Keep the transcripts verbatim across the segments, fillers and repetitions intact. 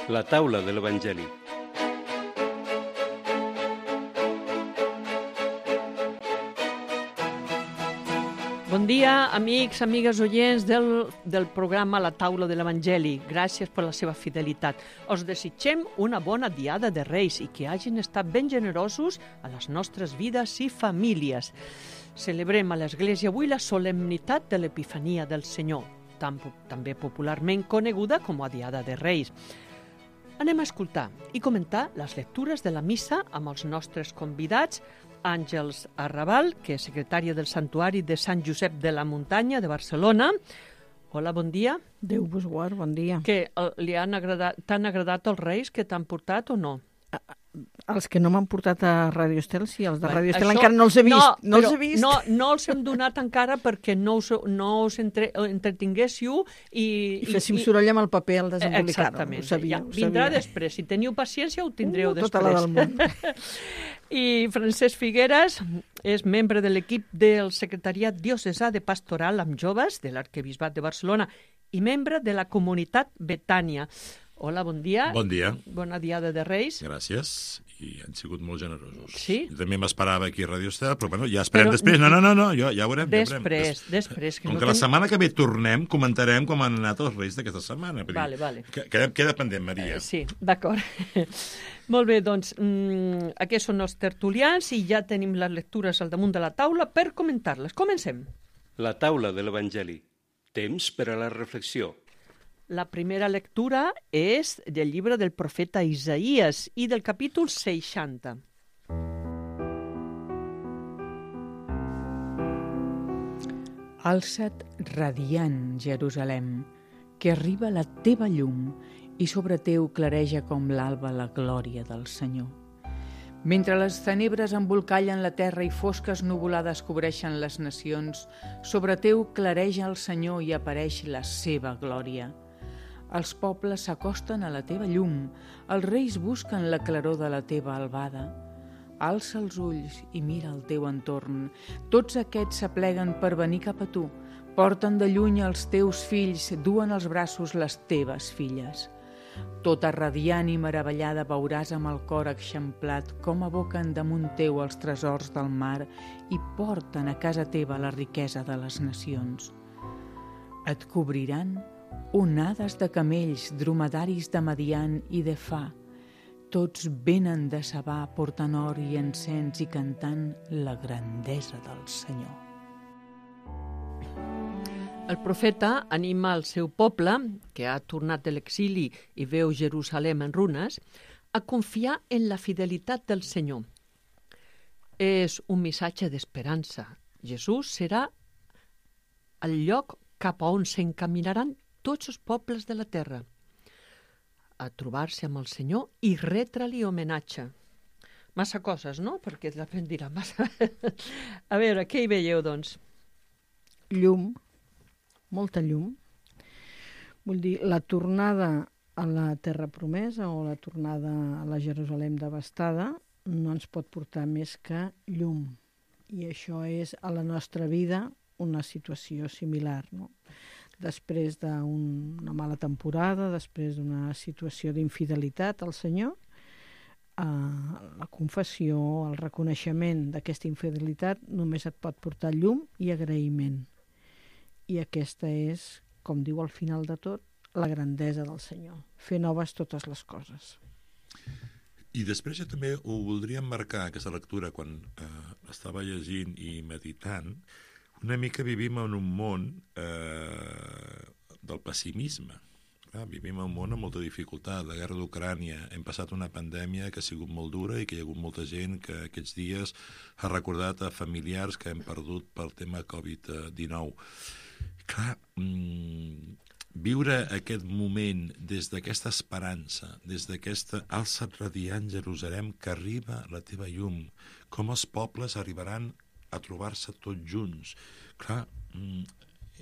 La taula de l'Evangeli. Bon dia, amics, amigues oients del, del programa La taula de l'Evangeli. Gràcies per la seva fidelitat. Us desitgem una bona diada de Reis i que hagin estat ben generosos a les nostres vides i famílies. Celebrem a l'Església avui la solemnitat de l'Epifania del Senyor, tan, també popularment coneguda com a Diada de Reis. Anem a escoltar i comentar les lectures de la missa amb els nostres convidats, Àngels Arrabal, que és secretària del Santuari de Sant Josep de la Muntanya de Barcelona. Hola, bon dia. Déu vos guard, bon dia. Que li han agradat, t'han agradat els Reis que t'han portat o no? Els que no m'han portat a Radio Estel, sí, els de Bé, Radio Estel això, encara no els he vist. No, no els he vist. No, no els hem donat encara perquè no us, no us entre, entretinguéssiu i... I féssim i, soroll amb el paper al desembolicar-ho. Exactament. Ho sabia, ja, ho vindrà sabia. després. Si teniu paciència, ho tindreu uh, després. Tota la del món. I Francesc Figueres és membre de l'equip del Secretariat Diocesà de Pastoral amb Joves de l'Arquebisbat de Barcelona i membre de la comunitat Betània. Hola, bon dia. Bon dia. Bona diada de Reis. Gràcies, i han sigut molt generosos. Sí? Jo també m'esperava aquí a Radio Estel, però bueno, ja esperem però... després. No, no, no, no, ja, ja ho veurem. Després, ja ho veurem. Des... després. Que Com no que la ten... setmana que ve tornem, comentarem com han anat els Reis d'aquesta setmana. Vale, vale. Queda, queda pendent, Maria. Eh, sí, d'acord. Molt bé, doncs, mmm, aquests són els tertulians i ja tenim les lectures al damunt de la taula per comentar-les. Comencem. La taula de l'Evangeli. Temps per a la reflexió. La primera lectura és del llibre del profeta Isaïes i del capítol seixanta. Alça't radiant, Jerusalem, que arriba la teva llum i sobre teu clareja com l'alba la glòria del Senyor. Mentre les tenebres embolcallen la terra i fosques nuvolades cobreixen les nacions, sobre teu clareja el Senyor i apareix la seva glòria. Els pobles s'acosten a la teva llum, els reis busquen la claror de la teva albada. Alça els ulls i mira el teu entorn. Tots aquests s'apleguen per venir cap a tu. Porten de lluny els teus fills, duen als braços les teves filles. Tota radiant i meravellada veuràs amb el cor eixamplat com aboquen damunt teu els tresors del mar i porten a casa teva la riquesa de les nacions. Et cobriran onades de camells, dromedaris de Madian i de Fa. Tots venen de Sabà portant or i encens i cantant la grandesa del Senyor. El profeta anima el seu poble, que ha tornat de l'exili i veu Jerusalem en runes, a confiar en la fidelitat del Senyor. És un missatge d'esperança. Jesús serà el lloc cap a on s'encaminaran tots els pobles de la terra, a trobar-se amb el Senyor i retre-li homenatge. Massa coses, no? Perquè la gent dirà massa... A veure, què hi veieu, doncs? Llum, molta llum. Vull dir, la tornada a la terra promesa o la tornada a la Jerusalem devastada no ens pot portar més que llum. I això és a la nostra vida una situació similar, no? Després d'una mala temporada, després d'una situació d'infidelitat al Senyor, eh, la confessió, el reconeixement d'aquesta infidelitat només et pot portar llum i agraïment. I aquesta és, com diu al final de tot, la grandesa del Senyor, fer noves totes les coses. I després jo també ho voldria marcar, aquesta lectura, quan eh, estava llegint i meditant. Una mica vivim en un món eh, del pessimisme. Clar, vivim en un món amb molta dificultat. La guerra d'Ucrània, hem passat una pandèmia que ha sigut molt dura i que hi ha hagut molta gent que aquests dies ha recordat a familiars que hem perdut pel tema covid dinou. Clar, mmm, viure aquest moment des d'aquesta esperança, des d'aquesta alça't radiant Jerusalem que arriba la teva llum, com els pobles arribaran a trobar-se tots junts. Clar,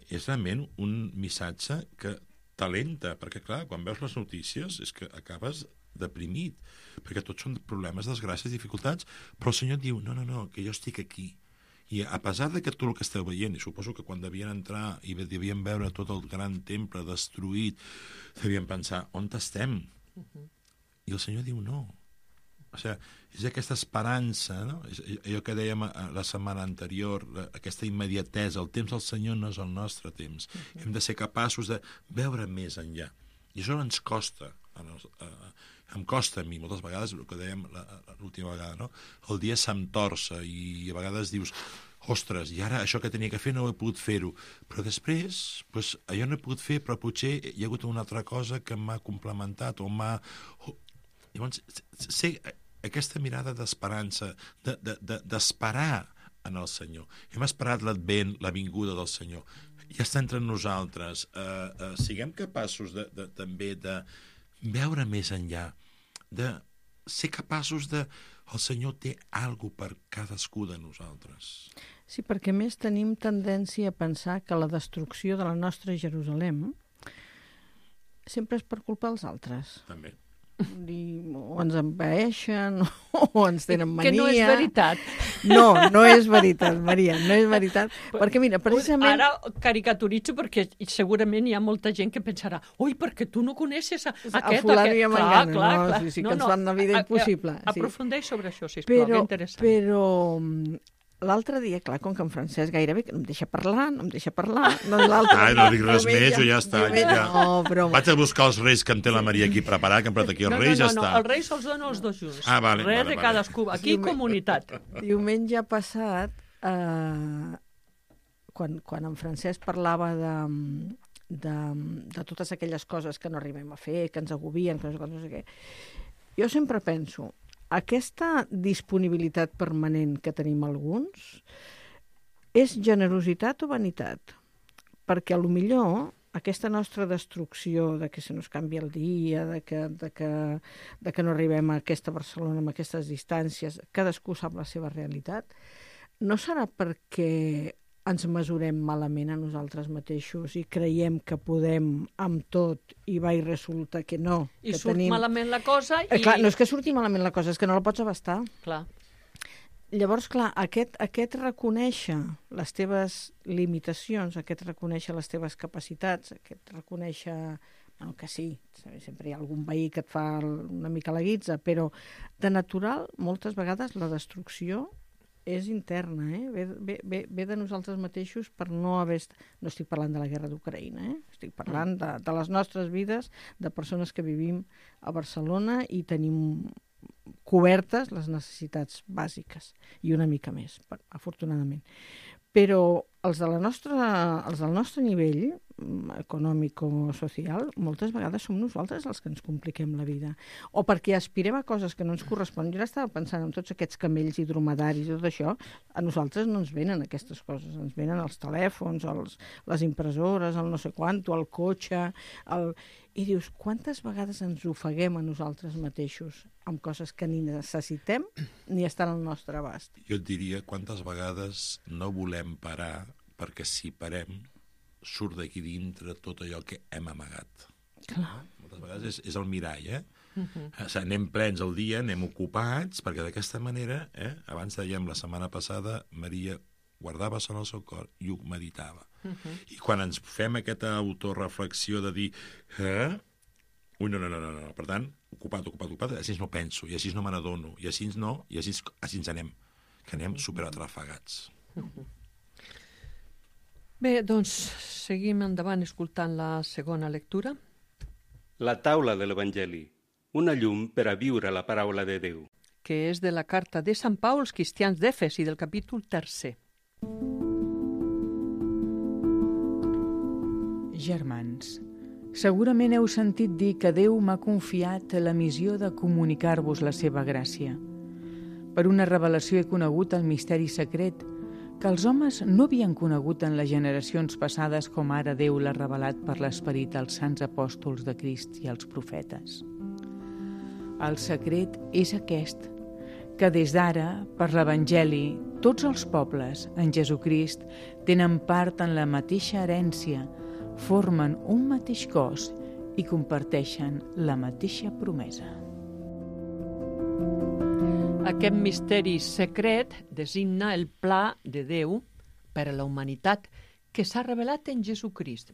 és realment un missatge que t'alenta, perquè clar, quan veus les notícies és que acabes deprimit, perquè tots són problemes, desgràcies, dificultats, però el Senyor et diu, no, no, no, que jo estic aquí. I a pesar de que tot el que esteu veient, i suposo que quan devien entrar i devien veure tot el gran temple destruït, devien pensar, on estem? Uh-huh. I el Senyor diu no. O sigui, és aquesta esperança, no? És allò que dèiem la setmana anterior, aquesta immediatesa. El temps del Senyor no és el nostre temps. Uh-huh. Hem de ser capaços de veure més enllà. I això ens costa. Em costa a mi, moltes vegades, el que dèiem l'última vegada, no? El dia se'm torça i a vegades dius, ostres, i ara això que tenia que fer no he pogut fer-ho. Però després, doncs, allò no he pogut fer, però potser hi ha hagut una altra cosa que m'ha complementat o m'ha... Llavors, ser aquesta mirada d'esperança, d'esperar en el Senyor. Hem esperat l'advent, la vinguda del Senyor. Ja està entre nosaltres. Uh, uh, siguem capaços de, de, també de veure més enllà, de ser capaços de... El Senyor té alguna per cadascú de nosaltres. Sí, perquè més tenim tendència a pensar que la destrucció de la nostra Jerusalem sempre és per culpa dels altres. També. O ens envaeixen o ens tenen mania. Que no és veritat. No, no és veritat, Maria, no és veritat. Perquè, mira, precisament... Ara caricaturitzo perquè segurament hi ha molta gent que pensarà ui, perquè tu no coneixes a, a aquest... A fulano i a mangano, clar, clar, no, clar. sí, sí, no, que ens no, fan la vida a, impossible. A, a, sí. aprofundeix sobre això, sisplau, però, que interessant. Però l'altre dia, clar, com que en Francesc gairebé no em deixa parlar, no em deixa parlar... No, Ai, no dic res més, o ja està. Diumenge, Ja. No, broma. Vaig a buscar els reis que em té la Maria aquí preparat, que em porta aquí els no, reis, no, ja no, està. No, els reis els dono els dos junts. Ah, vale, Res vale, de vale. cadascú. Aquí Diumen- comunitat. Diumenge passat, eh, quan, quan en Francesc parlava de, de, de totes aquelles coses que no arribem a fer, que ens agobien, que no sé, què, no sé què, jo sempre penso, aquesta disponibilitat permanent que tenim alguns és generositat o vanitat? Perquè a lo millor aquesta nostra destrucció de que se nos canvia el dia, de que, de que, de que no arribem a aquesta Barcelona amb aquestes distàncies, cadascú sap la seva realitat, no serà perquè ens mesurem malament a nosaltres mateixos i creiem que podem amb tot i va i resulta que no. I que surt tenim... malament la cosa i... Eh, clar, no és que surti malament la cosa, és que no la pots abastar. Clar. Llavors, clar, aquest, aquest reconèixer les teves limitacions, aquest reconèixer les teves capacitats, aquest reconèixer... Bueno, que sí, sempre hi ha algun veí que et fa una mica la guitza, però de natural, moltes vegades, la destrucció és interna, eh? ve, ve, ve, ve de nosaltres mateixos per no haver... No estic parlant de la guerra d'Ucraïna, eh? Estic parlant de, de les nostres vides, de persones que vivim a Barcelona i tenim cobertes les necessitats bàsiques i una mica més, afortunadament. Però els, de la nostra, els del nostre nivell econòmic o social, moltes vegades som nosaltres els que ens compliquem la vida. O perquè aspirem a coses que no ens corresponen. Jo estava pensant en tots aquests camells i dromedaris i tot això, a nosaltres no ens venen aquestes coses, ens venen els telèfons, els, les impressores, el no sé quanto, el cotxe... El... I dius, quantes vegades ens ofeguem a nosaltres mateixos amb coses que ni necessitem ni estan al nostre abast? Jo et diria quantes vegades no volem parar perquè si parem surt d'aquí dintre tot allò que hem amagat. Clar. Moltes vegades és, és el mirall, eh? Uh-huh. O sigui, anem plens el dia, anem ocupats, perquè d'aquesta manera, eh? Abans dèiem la setmana passada, Maria guardava en el seu cor i ho meditava. Uh-huh. I quan ens fem aquesta autoreflexió de dir eh? Ui, no, no, no, no, no, per tant, ocupat, ocupat, ocupat, així no penso, i així no me n'adono, i així no, i així, així ens anem, que anem superatrafegats. Uh-huh. Bé, doncs, seguim endavant escoltant la segona lectura. La taula de l'Evangeli, una llum per a viure la paraula de Déu. Que és de la carta de Sant Pau als cristians d'Efes i del capítol tercer. Germans, segurament heu sentit dir que Déu m'ha confiat la missió de comunicar-vos la seva gràcia. Per una revelació he conegut el misteri secret que els homes no havien conegut en les generacions passades com ara Déu l'ha revelat per l'esperit als sants apòstols de Crist i als profetes. El secret és aquest, que des d'ara, per l'Evangeli, tots els pobles en Jesucrist tenen part en la mateixa herència, formen un mateix cos i comparteixen la mateixa promesa. Aquest misteri secret designa el pla de Déu per a la humanitat que s'ha revelat en Jesucrist.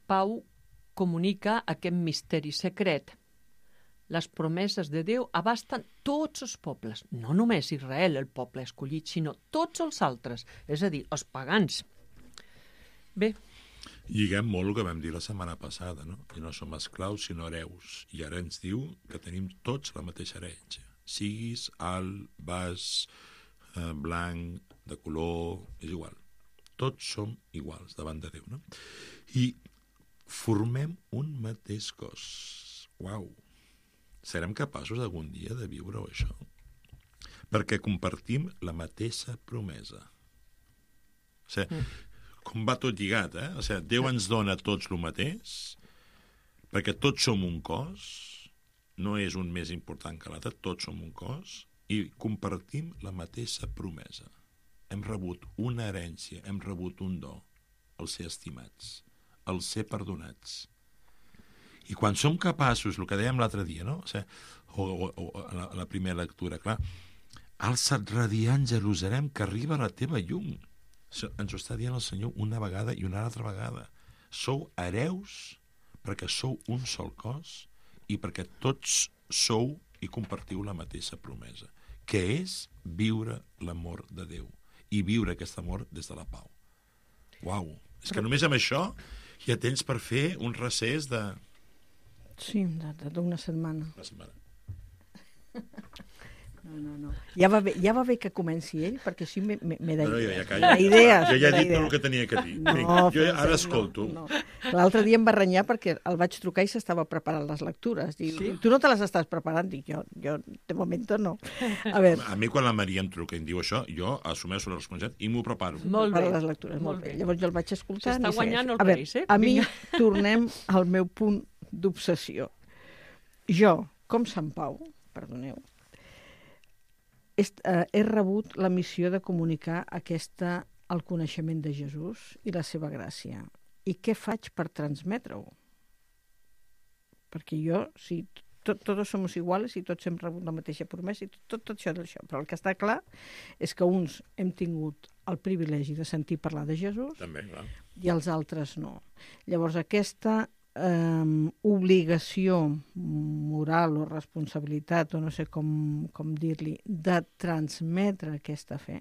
Pau comunica aquest misteri secret les promeses de Déu abasten tots els pobles, no només Israel, el poble escollit, sinó tots els altres, és a dir, els pagans. Bé. Lliguem molt el que vam dir la setmana passada, no? Que no som esclaus, sinó hereus. I ara ens diu que tenim tots la mateixa herència. Siguis alt, baix, eh, blanc, de color, és igual. Tots som iguals davant de Déu, no? I formem un mateix cos. Uau! Serem capaços algun dia de viure això? Perquè compartim la mateixa promesa. O sigui, mm. com va tot lligat, eh? O sigui, Déu ens dona a tots el mateix, perquè tots som un cos, no és un més important que l'altre, tots som un cos, i compartim la mateixa promesa. Hem rebut una herència, hem rebut un do, el ser estimats, el ser perdonats. I quan som capaços, el que dèiem l'altre dia, no? O, sigui, o, o, o a, la, a la primera lectura, clar, alça't radiant Jerusalem, que arriba la teva llum. Ens ho està dient el Senyor una vegada i una altra vegada. Sou hereus perquè sou un sol cos i perquè tots sou i compartiu la mateixa promesa, que és viure l'amor de Déu i viure aquest amor des de la pau. Uau! És que només amb això ja tens per fer un recés de... Sí, d'una setmana. Una setmana. No, no, no. Ja va bé, ja va bé que comenci ell, perquè així m'he d'idees. No, no, jo ja callo. Idees, jo ja he dit tot el que tenia que dir. No, Vinga, jo Francesc, ara escolto. No, no. L'altre dia em va renyar perquè el vaig trucar i s'estava preparant les lectures. Diu, sí? Tu no te les estàs preparant? Dic, jo, jo de moment no. A veure. A mi quan la Maria em truca i em diu això, jo assumeixo la responsabilitat i m'ho preparo. Molt bé. Per les lectures, molt, molt bé. bé. Llavors jo el vaig escoltar. S'està guanyant el reis, eh? A mi tornem al meu punt d'obsessió. Jo, com Sant Pau, perdoneu, he, eh, he rebut la missió de comunicar aquesta, el coneixement de Jesús i la seva gràcia. I què faig per transmetre-ho? Perquè jo, si tot, tots som iguals i tots hem rebut la mateixa promesa i tot, tot, tot això d'això. Però el que està clar és que uns hem tingut el privilegi de sentir parlar de Jesús. També, clar. I els altres no. Llavors aquesta eh, obligació moral o responsabilitat, o no sé com, com dir-li, de transmetre aquesta fe.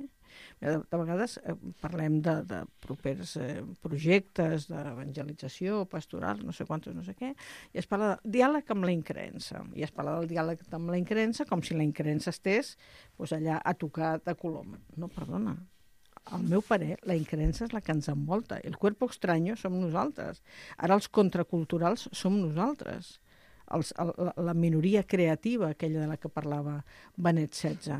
De, de vegades eh, parlem de, de propers eh, projectes d'evangelització, pastoral, no sé quantos, no sé què, i es parla de diàleg amb la increença. I es parla del diàleg amb la increença com si la increença estés pues, allà a tocar de colom. No, perdona. Al meu parer, la increença és la que ens envolta. El cuerpo extraño som nosaltres. Ara els contraculturals som nosaltres. Els, el, la minoria creativa, aquella de la que parlava Benet setze.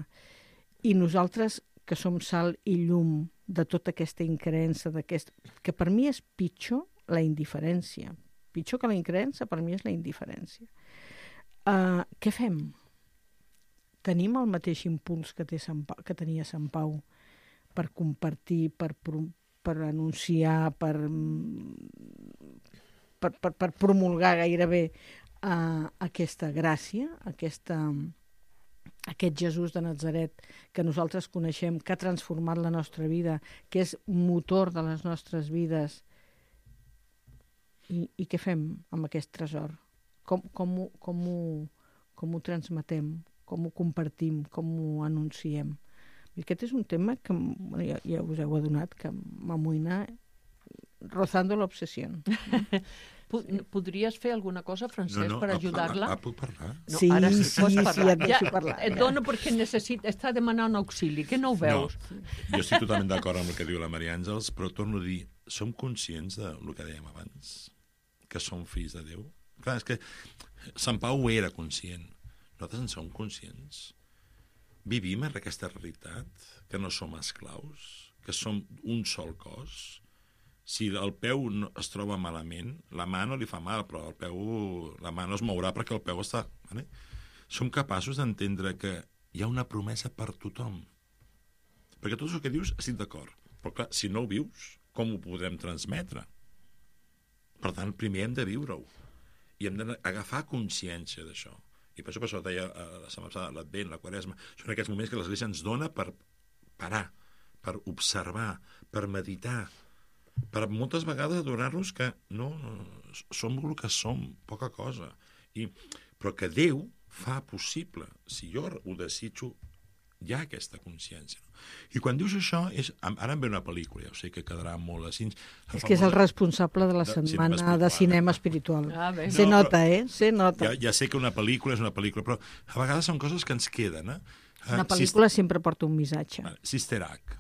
I nosaltres, que som sal i llum de tota aquesta increença, que per mi és pitjor la indiferència. Pitjor que la increença, per mi és la indiferència. Uh, què fem? Tenim el mateix impuls que, té Sant Pau, que tenia Sant Pau per compartir, per, per anunciar, per, per, per, per promulgar gairebé uh, aquesta gràcia, aquesta, aquest Jesús de Natzaret que nosaltres coneixem, que ha transformat la nostra vida, que és motor de les nostres vides. I, i què fem amb aquest tresor? Com, com, ho, com, ho, com ho transmetem? Com ho compartim? Com ho anunciem? I aquest és un tema que bueno, ja, ja us heu adonat que m'amoïna rozando l'obsessió. Podries fer alguna cosa, Francesc, no, no, per ajudar-la? Ah, puc parlar? No, sí, ara sí, sí, pots sí, parlar. sí, et deixo ja, parlar. Et dono perquè necessita, està demanant auxili, que no ho veus? No, jo estic totalment d'acord amb el que diu la Maria Àngels, però torno a dir, som conscients del que dèiem abans? Que som fills de Déu? Clar, és que Sant Pau ho era conscient. Nosaltres en som conscients. Vivim en aquesta realitat, que no som esclaus, que som un sol cos. Si el peu no es troba malament, la mà no li fa mal, però el peu, la mà no es mourà perquè el peu està... Vale? Som capaços d'entendre que hi ha una promesa per tothom. Perquè tot el que dius estic d'acord. Però clar, si no ho vius, com ho podrem transmetre? Per tant, primer hem de viure-ho. I hem d'agafar consciència d'això. I per això, per això deia la setmana passada, l'Advent, la Quaresma, són aquests moments que l'Església ens dona per parar, per observar, per meditar, per moltes vegades adonar-nos que no, som el que som, poca cosa. I, però que Déu fa possible. Si jo ho desitjo, hi ha aquesta consciència. I quan dius això, és, ara em ve una pel·lícula, ja ho sé que quedarà molt així. És que és el responsable de la setmana de cinema espiritual. Ah, bé. Se No, nota, eh? Se nota. Ja, ja sé que una pel·lícula és una pel·lícula, però a vegades són coses que ens queden. Eh? Una pel·lícula sempre porta un missatge. Sister Act,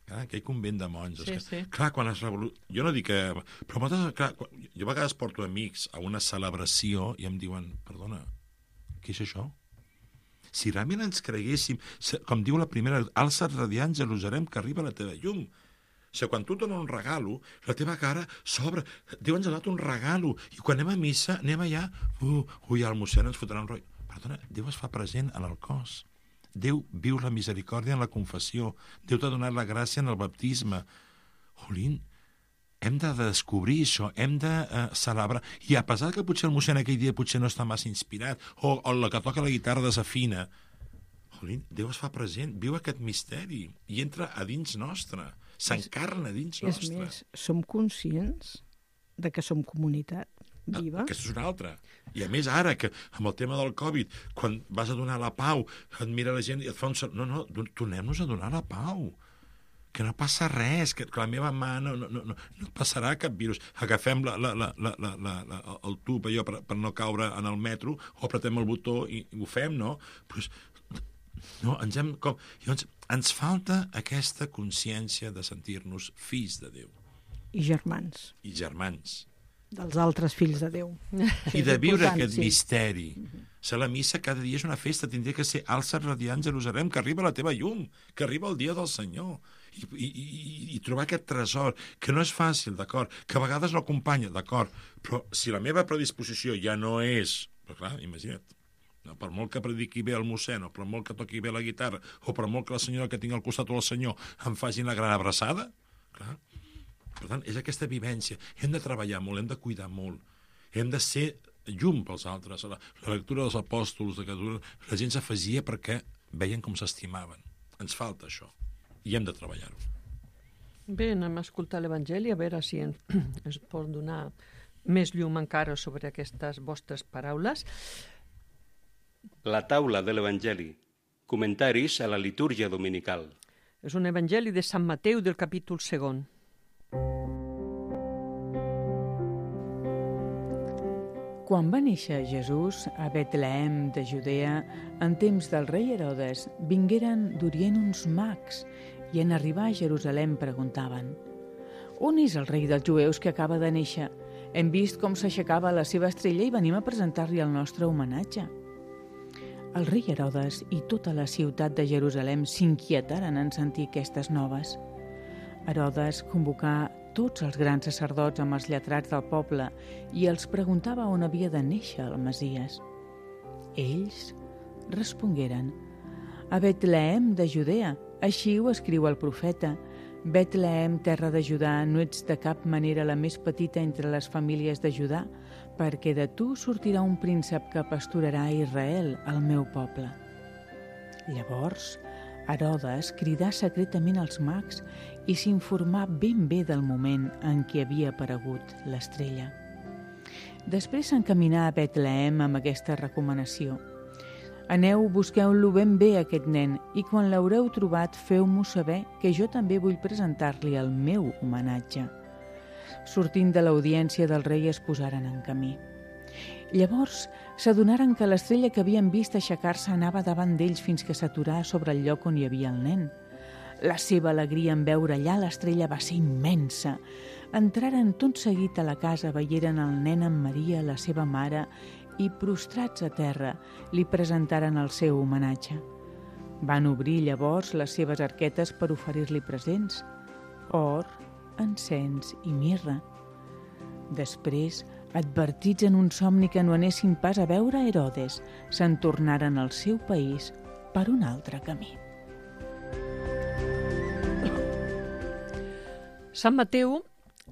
eh? Aquell convent de monges. Sí, que, sí. Clar, quan es revolu... Jo no dic que... Però moltes, clar, quan... jo a vegades porto amics a una celebració i em diuen, perdona, què és això? Si realment ens creguéssim, com diu la primera, alça't radiant Jerusalem, que arriba la teva llum. O sigui, quan tu et dones un regalo, la teva cara s'obre. Déu ens ha donat un regalo. I quan anem a missa, anem allà, uh, ui, el mossèn ens fotrà un rotllo. Perdona, Déu es fa present en el cos. Déu viu la misericòrdia en la confessió. Déu t'ha donat la gràcia en el baptisme. Jolín, hem de descobrir això, hem de uh, celebrar. I a pesar que potser el mossèn aquell dia potser no està massa inspirat, o, o la que toca la guitarra desafina, jolín, Déu es fa present, viu aquest misteri i entra a dins nostre, s'encarna a dins nostre. És més, som conscients de que som comunitat viva? Ah, aquesta és una altra. I a més ara, que amb el tema del Covid, quan vas a donar la pau, et mira la gent i et fa un... No, no, tornem-nos a donar la pau. Que no passa res, que, que la meva mà no, no, no, no passarà cap virus. Agafem la, la, la, la, la, la, el tub allò per, per no caure en el metro, o apretem el botó i, i ho fem, no? Pues, no, ens hem... Com... Llavors, ens falta aquesta consciència de sentir-nos fills de Déu. I germans. I germans. Dels altres fills de Déu. I de viure aquest sí. misteri. Ser la missa cada dia és una festa, tindria que ser alça't radiant Jerusalem, que arriba la teva llum, que arriba el dia del Senyor. I, i, i, i trobar aquest tresor, que no és fàcil, d'acord, que a vegades no acompanya, d'acord, però si la meva predisposició ja no és... Però clar, imagina't, no, per molt que prediqui bé el mossèn, o per molt que toqui bé la guitarra, o per molt que la senyora que tinc al costat o el senyor em facin la gran abraçada, clar. Per tant, és aquesta vivència. Hem de treballar molt, hem de cuidar molt, hem de ser llum pels altres. La, la lectura dels apòstols, de que la gent s'afegia perquè veien com s'estimaven. Ens falta això, i hem de treballar-ho. Bé, anem a escoltar l'Evangeli, a veure si ens, ens pot donar més llum encara sobre aquestes vostres paraules. La taula de l'Evangeli. Comentaris a la litúrgia dominical. És un Evangeli de Sant Mateu del capítol segon. Quan va néixer Jesús a Betlehem de Judea, en temps del rei Herodes, vingueren d'Orient uns mags i en arribar a Jerusalem preguntaven: «On és el rei dels jueus que acaba de néixer? Hem vist com s'aixecava la seva estrella i venim a presentar-li el nostre homenatge». El rei Herodes i tota la ciutat de Jerusalem s'inquietaren en sentir aquestes noves. Herodes convocà tots els grans sacerdots amb els lletrats del poble i els preguntava on havia de néixer el Messies. Ells respongueren: «A Betlehem de Judea, així ho escriu el profeta. Betlehem, terra de Judà, no ets de cap manera la més petita entre les famílies de Judà, perquè de tu sortirà un príncep que pasturarà a Israel, el meu poble». Llavors, Herodes cridà secretament els mags i s'informà ben bé del moment en què havia aparegut l'estrella. Després s'encaminà a Betlehem amb aquesta recomanació: «Aneu, busqueu-lo ben bé, aquest nen, i quan l'haureu trobat, feu-m'ho saber, que jo també vull presentar-li el meu homenatge». Sortint de l'audiència del rei es posaren en camí. Llavors s'adonaren que l'estrella que havien vist aixecar-se anava davant d'ells fins que s'aturà sobre el lloc on hi havia el nen. La seva alegria en veure allà l'estrella va ser immensa. Entraren tot seguit a la casa, veieren el nen amb Maria, la seva mare, i prostrats a terra li presentaren el seu homenatge. Van obrir llavors les seves arquetes per oferir-li presents: or, encens i mirra. Després, advertits en un somni que no anessin pas a veure Herodes, se'n tornaren al seu país per un altre camí. Sant Mateu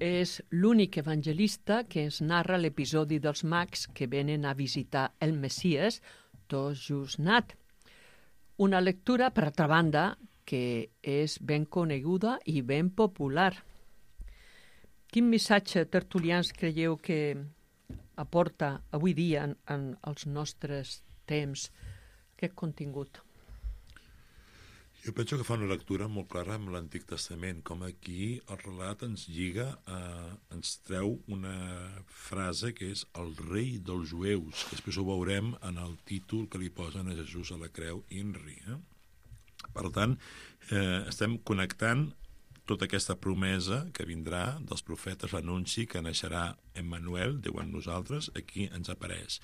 és l'únic evangelista que ens narra l'episodi dels mags que venen a visitar el Messies tot just nat. Una lectura, per altra banda, que és ben coneguda i ben popular. Quin missatge, tertulians, creieu que aporta avui dia en, en els nostres temps, aquest contingut. Jo penso que fa una lectura molt clara amb l'Antic Testament, com aquí el relat ens lliga, eh, ens treu una frase que és el rei dels jueus, que després ho veurem en el títol que li posen a Jesús a la creu, INRI. Eh? Per tant, eh, estem connectant tota aquesta promesa que vindrà dels profetes, l'anunci que naixerà Emmanuel, Déu amb nosaltres, aquí ens apareix.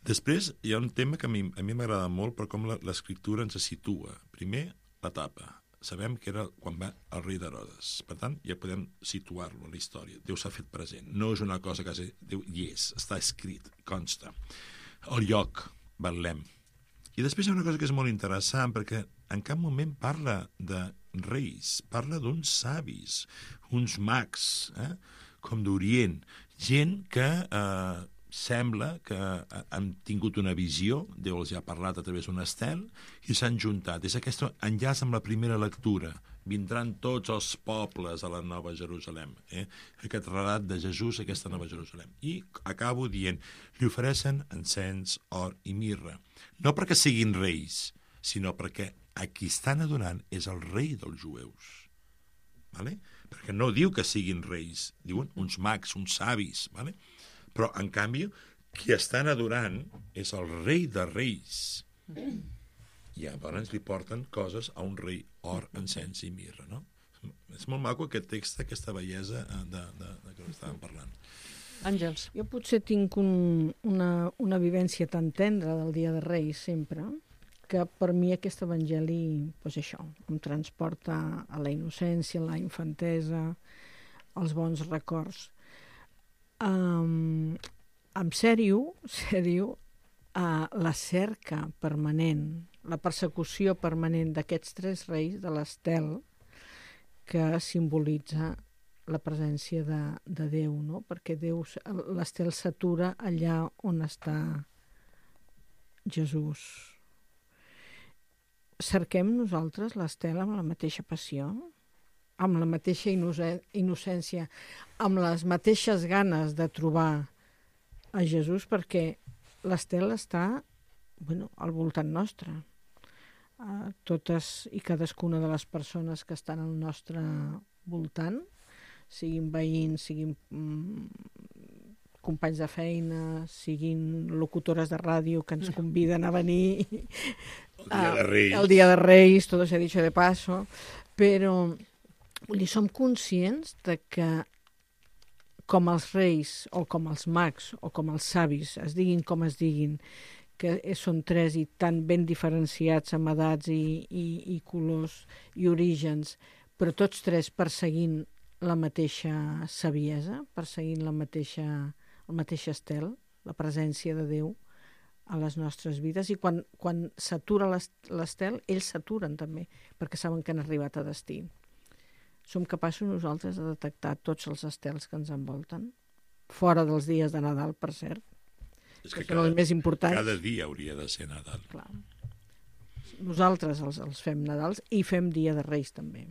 Després hi ha un tema que a mi a mi m'agrada molt per com l'escriptura ens situa. Primer, l'etapa. Sabem que era quan va el rei d'Herodes. Per tant, ja podem situar-lo a la història. Déu s'ha fet present. No és una cosa que Déu hi és, està escrit, consta. El lloc, Betlem. I després hi ha una cosa que és molt interessant, perquè en cap moment parla de reis, parla d'uns savis, uns mags, eh? com d'Orient, gent que eh, sembla que han tingut una visió, Déu els ha parlat a través d'un estel, i s'han juntat. És aquest enllaç amb la primera lectura. Vindran tots els pobles a la Nova Jerusalem. Eh? Aquest relat de Jesús, aquesta Nova Jerusalem. I acabo dient, li ofereixen encens, or i mirra. No perquè siguin reis, sinó perquè a qui estan adorant és el rei dels jueus. Vale? Perquè no diu que siguin reis, diuen uns mags, uns savis, vale? Però, en canvi, qui estan adorant és el rei de reis. I llavors li porten coses a un rei, or, encens i mirra, no? És molt maco aquest text, aquesta bellesa de, de, de què estàvem parlant. Àngels. Jo potser tinc un, una, una vivència tan tendra del Dia de Reis, sempre, que per mi aquest evangeli, doncs això, em transporta a la innocència, a la infantesa, als bons records. Um, en sèrio, sèrio, uh, la cerca permanent, la persecució permanent d'aquests tres reis de l'estel que simbolitza la presència de, de Déu, no? Perquè Déu, l'estel s'atura allà on està Jesús. Cerquem nosaltres l'estel amb la mateixa passió, amb la mateixa innocència, amb les mateixes ganes de trobar a Jesús, perquè l'estel està, bueno, al voltant nostre. Uh, totes i cadascuna de les persones que estan al nostre voltant, siguin veïns, siguin mm, companys de feina, siguin locutores de ràdio que ens conviden a venir. El Dia de Reis. Uh, el Dia de Reis, todo se ha dicho de paso, però vull dir, som conscients de que com els reis o com els mags o com els savis, es diguin com es diguin, que són tres i tan ben diferenciats amb edats i, i, i colors i orígens, però tots tres perseguint la mateixa saviesa, perseguint la mateixa, el mateix estel, la presència de Déu a les nostres vides, i quan, quan s'atura l'estel, ells s'aturen també, perquè saben que han arribat a destí. Som capaços nosaltres de detectar tots els estels que ens envolten, fora dels dies de Nadal, per cert, és que, que són els més importants. Cada dia hauria de ser Nadal. Clar. Nosaltres els, els fem Nadals i fem Dia de Reis també,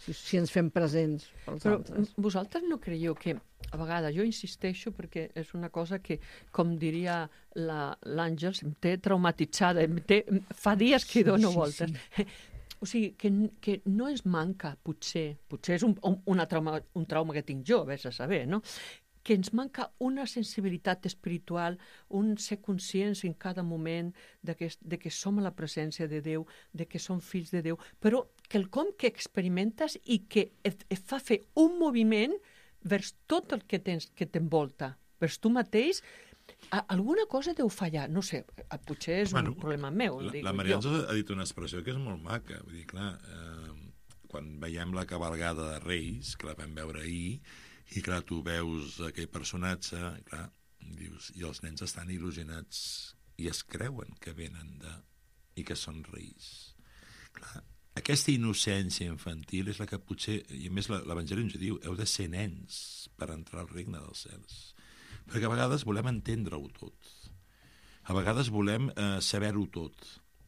si, si ens fem presents pels Però altres. vosaltres no creieu que, a vegades, jo insisteixo perquè és una cosa que, com diria l'Àngels, em té traumatitzada, em té, fa dies que Sí, dono sí, voltes. sí. O sigui, que, que no ens manca, potser, potser és un, un, una trauma, un trauma que tinc jo, vés a saber, no? Que ens manca una sensibilitat espiritual, un ser conscients en cada moment de que, de que som a la presència de Déu, de que som fills de Déu, però quelcom que experimentes i que et, et fa fer un moviment vers tot el que tens que t'envolta, vers tu mateix. A, alguna cosa deu fallar, no sé, potser és bueno, un problema meu. La, dic la Maria jo. ha dit una expressió que és molt maca, vull dir, clar, eh, quan veiem la cabalgada de Reis, que la vam veure ahir, i clar, tu veus aquell personatge, clar, dius, i els nens estan il·lusionats i es creuen que venen de... i que són reis. Clar, aquesta innocència infantil és la que potser, i a més l'Evangeli ens diu, heu de ser nens per entrar al regne dels cels. Perquè a vegades volem entendre-ho tot. A vegades volem eh, saber-ho tot.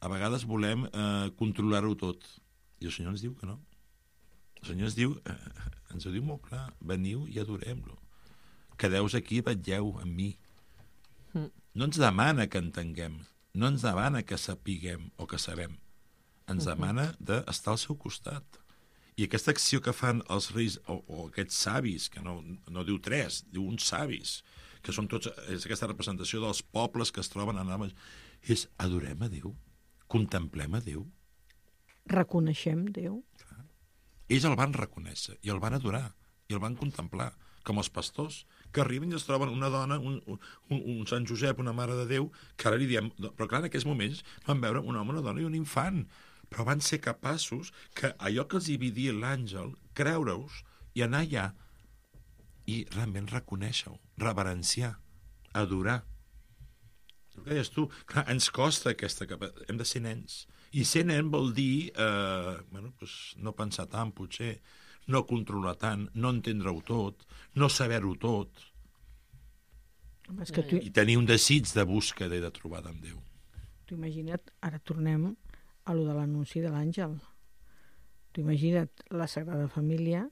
A vegades volem eh, controlar-ho tot. I el Senyor ens diu que no. El Senyor ens diu, eh, ens ho diu molt clar, veniu i adorem-lo. Quedeu-vos aquí i vetlleu amb mi. Mm. no ens demana que entenguem, no ens demana que sapiguem o que sabem, ens demana d'estar al seu costat. I aquesta acció que fan els reis, o, o aquests savis, que no, no diu tres, diu uns savis, que són tots, és aquesta representació dels pobles que es troben en ales, és adorem a Déu, contemplem a Déu. Reconeixem Déu. Clar. Ells el van reconèixer, i el van adorar, i el van contemplar, com els pastors, que arriben i es troben una dona, un, un, un Sant Josep, una Mare de Déu, que ara li diem... Però clar, en aquells moments van veure un home, una dona i un infant, però van ser capaços que allò que els hi havia dit l'àngel, creure-us i anar allà i realment reconèixer-ho, reverenciar, adorar. El que deies tu, clar, ens costa aquesta capacitat, hem de ser nens. I ser nen vol dir eh, bueno, pues, no pensar tant, potser, no controlar tant, no entendre-ho tot, no saber-ho tot, És que tu, i tenir un desig de búsqueda i de trobada amb Déu. tu imagina't, ara tornem a lo de l'anunci de l'àngel. Tu imagina't la Sagrada Família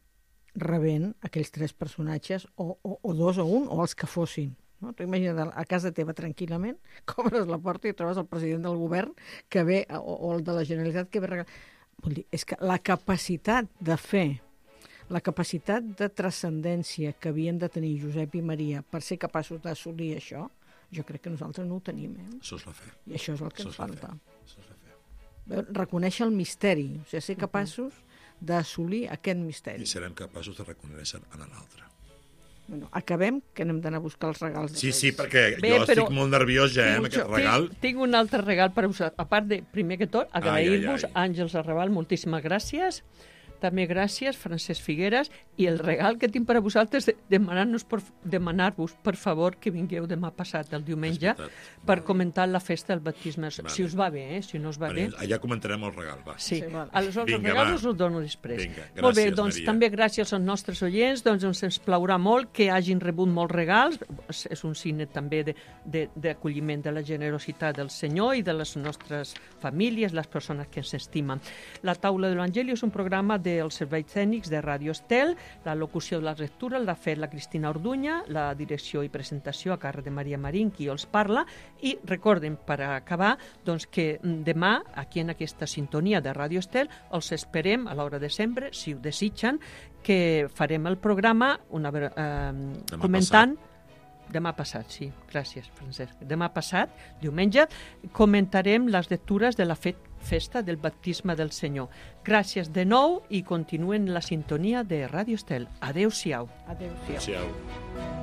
rebent aquells tres personatges, o, o, o dos o un, o els que fossin. No? Tu imagina't a casa teva tranquil·lament, obres la porta i trobes el president del govern que ve, o, o el de la Generalitat que ve regalar. Vull dir, és que la capacitat de fer, la capacitat de transcendència que havien de tenir Josep i Maria per ser capaços d'assolir això, jo crec que nosaltres no ho tenim. Eh? Això és la fe. I això és el que Això ens és la falta. fe. Això és la fe. Reconèixer el misteri, o sigui, ser capaços d'assolir aquest misteri. I serem capaços de reconèixer en l'altre. Bueno, acabem, que anem d'anar a buscar els regals de Sí, Reis. sí, perquè Bé, jo però- estic molt nerviós ja, eh, amb aquest regal. Tinc, tinc un altre regal per usar. A part de, primer que tot, agrair-vos, Ai, ai, ai. Àngels Arrabal, moltíssimes gràcies. També gràcies, Francesc Figueres. I el regal que tinc per a vosaltres, de, demanar-nos per, demanar-vos, per favor, que vingueu demà passat, el diumenge, És veritat. per comentar la festa del baptisme. Vale. Si us va bé, eh? Si no us va Vale, bé... allà comentarem el regal, va. Sí, Sí, vale. aleshores Vinga, el regal va. us el dono després. Vinga, Molt bé, gràcies, doncs Maria. també gràcies als nostres oients, doncs ens, ens plaurà molt que hagin rebut molts regals, és, és un signe també de- de- d'acolliment de, de la generositat del Senyor i de les nostres famílies, les persones que ens estimen. La taula de l'Evangeli és un programa dels serveis tècnics de Ràdio Estel, la locució de la lectura l'ha fet la Cristina Orduña, la direcció i presentació a càrrec de Maria Marín, qui els parla, i recorden, per acabar, doncs, que demà, aquí en aquesta sintonia de Ràdio Estel, els esperem a l'hora de sempre, si ho desitgen, que farem el programa una, eh, comentant... Demà passat, sí. Gràcies, Francesc. Demà passat, diumenge, comentarem les lectures de la fe festa del baptisme del Senyor. Gràcies de nou i continuen la sintonia de Ràdio Estel. Adéu-siau. Adéu-siau. Adéu-siau.